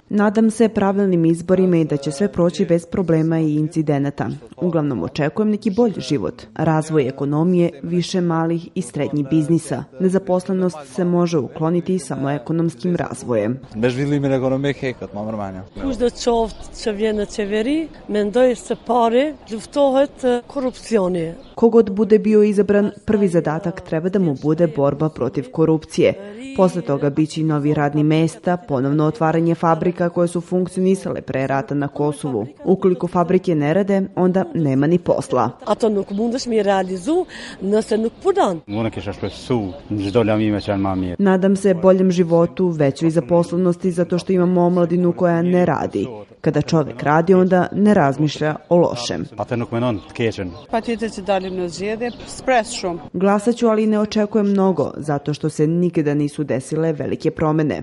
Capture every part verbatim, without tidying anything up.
Nadam se pravilnim izborima i da će sve proći bez problema i incidenata. Uglavnom očekujem neki bolji život, razvoj ekonomije, više malih i srednjih biznisa. Nezaposlenost se može ukloniti samo ekonomskim razvojem. Kush do qoftë që vjen në qeveri, mendoj se pari luftohet korupcioni. Kogod bude bio izabran, prvi zadatak treba da mu bude borba protiv korupcije. Posle toga biće i novi radni mesta, ponovno otvaranje fabrika koje su funkcionisale pre rata na Kosovu. Ukoliko fabrike ne rade, onda nema ni posla. Ato nuk mundesh mi realizu nëse nuk punon. Nadam se boljem životu, većoj zaposlenosti zato što imamo omladinu koja ne radi. Kada čovek radi, onda ne razmišlja o lošem. Glasaću, ali ne očekujem mnogo, zato što se nikada nisu desile velike promene.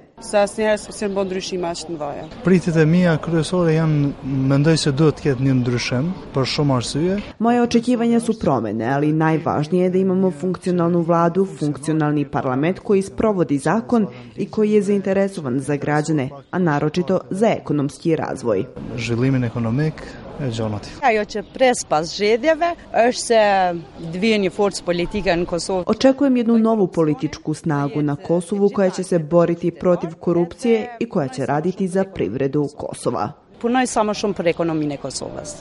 Pritet e mia kryesore janë, mendoj se duhet të ketë një ndryshim për shumë arsye. Moje očekivanja su promene, ali najvažnije je da imamo funkcionalnu vladu, funkcionalni parlament koji sprovodi zakon i koji je zainteresovan za građane, a naročito za ekonomski razvoj. Zhvillimin ekonomik e gjonati. Ajo që pres pas zgjedhjeve është se të vijë një forcë politike në Kosovë. Očekujem jednu novu političku snagu na Kosovu koja će se boriti protiv korupcije i koja će raditi za privredu Kosova. Punoj sa më shumë për ekonominë e Kosovës.